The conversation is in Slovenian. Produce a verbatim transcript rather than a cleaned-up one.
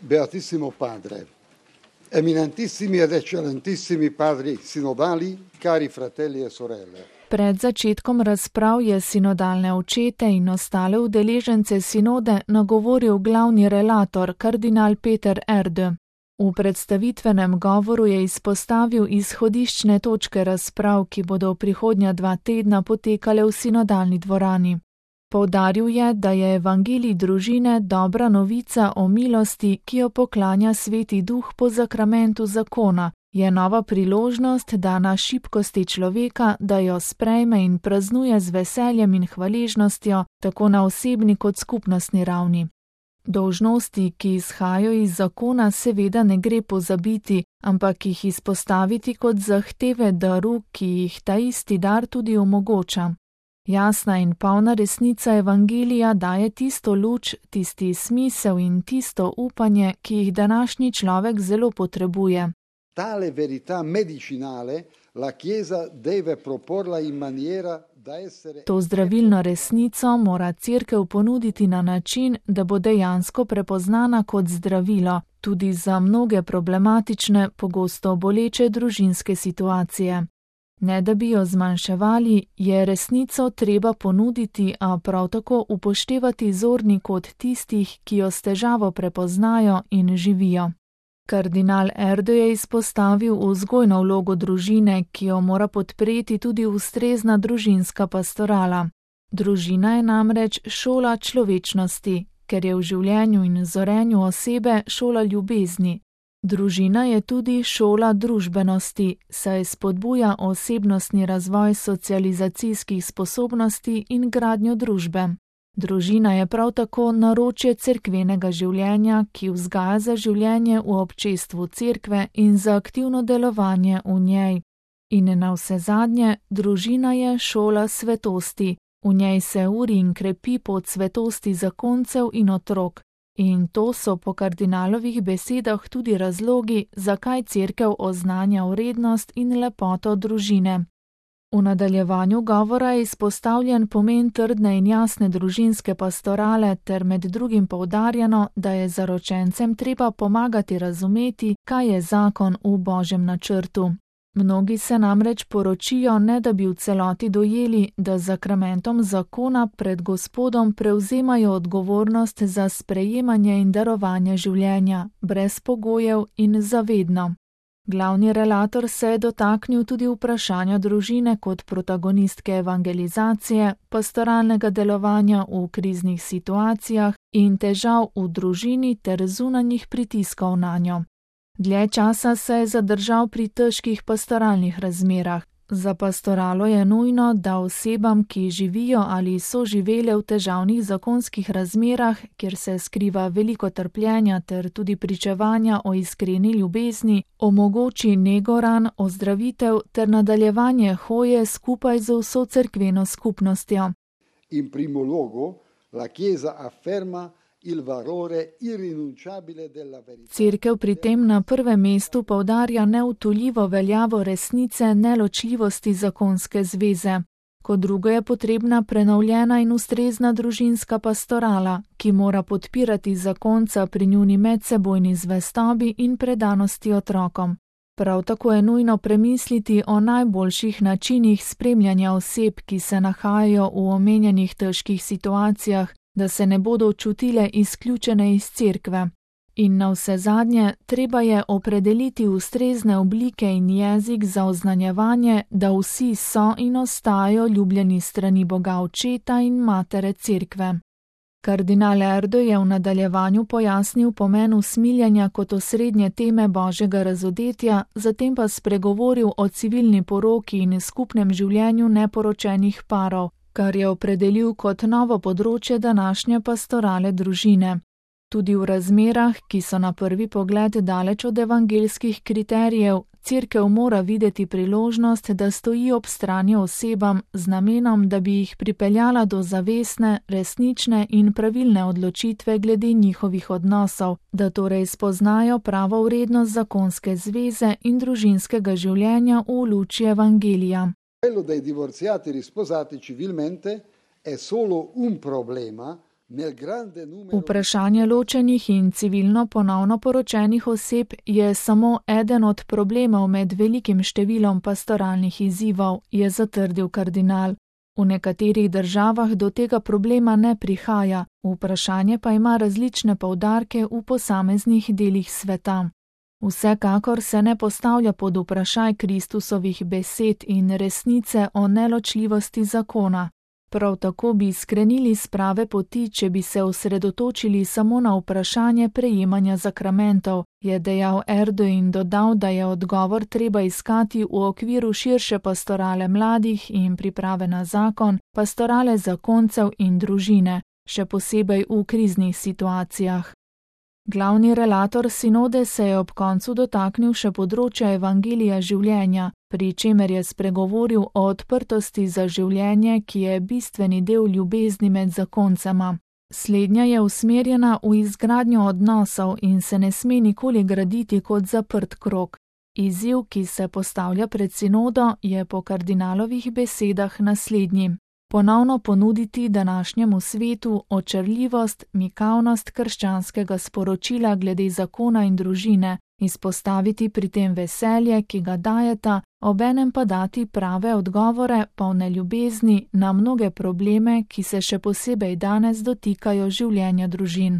Beatissimo Padre, eminentissimi ed eccellentissimi padri sinodali, cari fratelli e sorelle. Pred začetkom razprav je sinodalne očete in ostale udeležence sinode nagovoril glavni relator, kardinal Peter Erde. V predstavitvenem govoru je izpostavil izhodiščne točke razprav, ki bodo v prihodnja dva tedna potekale v sinodalni dvorani. Poudaril je, da je evangelij družine dobra novica o milosti, ki jo poklanja Sveti Duh po zakramentu zakona, je nova priložnost, dana šibkosti človeka, da jo sprejme in praznuje z veseljem in hvaležnostjo, tako na osebni kot skupnostni ravni. Dolžnosti, ki izhajajo iz zakona, seveda ne gre pozabiti, ampak jih izpostaviti kot zahteve daru, ki jih ta isti dar tudi omogoča. Jasna in polna resnica evangelija daje tisto luč, tisti smisel in tisto upanje, ki jih današnji človek zelo potrebuje. Tale verità medicinale la Chiesa deve proporla in maniera da essere... To zdravilno resnico mora Cerkev ponuditi na način, da bo dejansko prepoznana kot zdravilo, tudi za mnoge problematične, pogosto boleče družinske situacije. Ne da bi jo zmanjševali, je resnico treba ponuditi, a prav tako upoštevati zorni kot tistih, ki jo s težavo prepoznajo in živijo. Kardinal Erde je izpostavil vzgojno vlogo družine, ki jo mora podpreti tudi ustrezna družinska pastorala. Družina je namreč šola človečnosti, ker je v življenju in zorenju osebe šola ljubezni. Družina je tudi šola družbenosti, saj spodbuja osebnostni razvoj socializacijskih sposobnosti in gradnjo družbe. Družina je prav tako naročje cerkvenega življenja, ki vzgaja za življenje v občestvu cerkve in za aktivno delovanje v njej. In navsezadnje, družina je šola svetosti, v njej se uri in krepi pot svetosti zakoncev in otrok. In to so po kardinalovih besedah tudi razlogi, zakaj Cerkev oznanja vrednost in lepoto družine. V nadaljevanju govora je izpostavljen pomen trdne in jasne družinske pastorale ter med drugim poudarjeno, da je zaročencem treba pomagati razumeti, kaj je zakon v Božjem načrtu. Mnogi se namreč poročijo, ne da bi v celoti dojeli, da z zakramentom zakona pred Gospodom prevzemajo odgovornost za sprejemanje in darovanje življenja, brez pogojev in zavedno. Glavni relator se je dotaknil tudi vprašanja družine kot protagonistke evangelizacije, pastoralnega delovanja v kriznih situacijah in težav v družini ter zunanjih pritiskov nanjo. Dlje časa se je zadržal pri težkih pastoralnih razmerah. Za pastoralo je nujno, da osebam, ki živijo ali so živele v težavnih zakonskih razmerah, kjer se skriva veliko trpljenja ter tudi pričevanja o iskreni ljubezni, omogoči nego ran, ozdravitev ter nadaljevanje hoje skupaj z vso cerkveno skupnostjo. In primo luogo la Chiesa afferma il valore irrinunciabile della verità. Cerkev pri tem na prvem mestu poudarja neutoljivo veljavo resnice neločljivosti zakonske zveze. Kot drugo je potrebna prenovljena in ustrezna družinska pastorala, ki mora podpirati zakonca pri njuni medsebojni zvestobi in predanosti otrokom. Prav tako je nujno premisliti o najboljših načinih spremljanja oseb, ki se nahajajo v omenjenih težkih situacijah, da se ne bodo čutile izključene iz cerkve. In navsezadnje, treba je opredeliti ustrezne oblike in jezik za oznanjevanje, da vsi so in ostajajo ljubljeni strani Boga Očeta in Matere Cerkve. Kardinal Erde je v nadaljevanju pojasnil pomen usmiljenja kot osrednje teme Božjega razodetja, zatem pa spregovoril o civilni poroki in skupnem življenju neporočenih parov, kar je opredelil kot novo področje današnje pastorale družine. Tudi v razmerah, ki so na prvi pogled daleč od evangelskih kriterijev, Cerkev mora videti priložnost, da stoji ob strani osebam z namenom, da bi jih pripeljala do zavestne, resnične in pravilne odločitve glede njihovih odnosov, da torej spoznajo pravo vrednost zakonske zveze in družinskega življenja v luči evangelija. Quello dei divorziati risposati civilmente è solo un problema Vprašanje ločenih in civilno ponovno poročenih oseb je samo eden od problemov med velikim številom pastoralnih izzivov, je zatrdil kardinal. V nekaterih državah do tega problema ne prihaja, vprašanje pa ima različne poudarke v posameznih delih sveta. Vsekakor se ne postavlja pod vprašaj Kristusovih besed in resnice o neločljivosti zakona. Prav tako bi skrenili s prave poti, če bi se osredotočili samo na vprašanje prejemanja zakramentov, je dejal Erdo in dodal, da je odgovor treba iskati v okviru širše pastorale mladih in priprave na zakon, pastorale zakoncev in družine, še posebej v kriznih situacijah. Glavni relator sinode se je ob koncu dotaknil še področja evangelija življenja, pri čemer je spregovoril o odprtosti za življenje, ki je bistveni del ljubezni med zakoncema. Slednja je usmerjena v izgradnjo odnosov in se ne sme nikoli graditi kot zaprt krog. Izziv, ki se postavlja pred sinodo, je po kardinalovih besedah naslednji. Ponovno ponuditi današnjemu svetu očarljivost, mikavnost krščanskega sporočila glede zakona in družine, izpostaviti pri tem veselje, ki ga dajeta, obenem pa dati prave odgovore, polne ljubezni na mnoge probleme, ki se še posebej danes dotikajo življenja družin.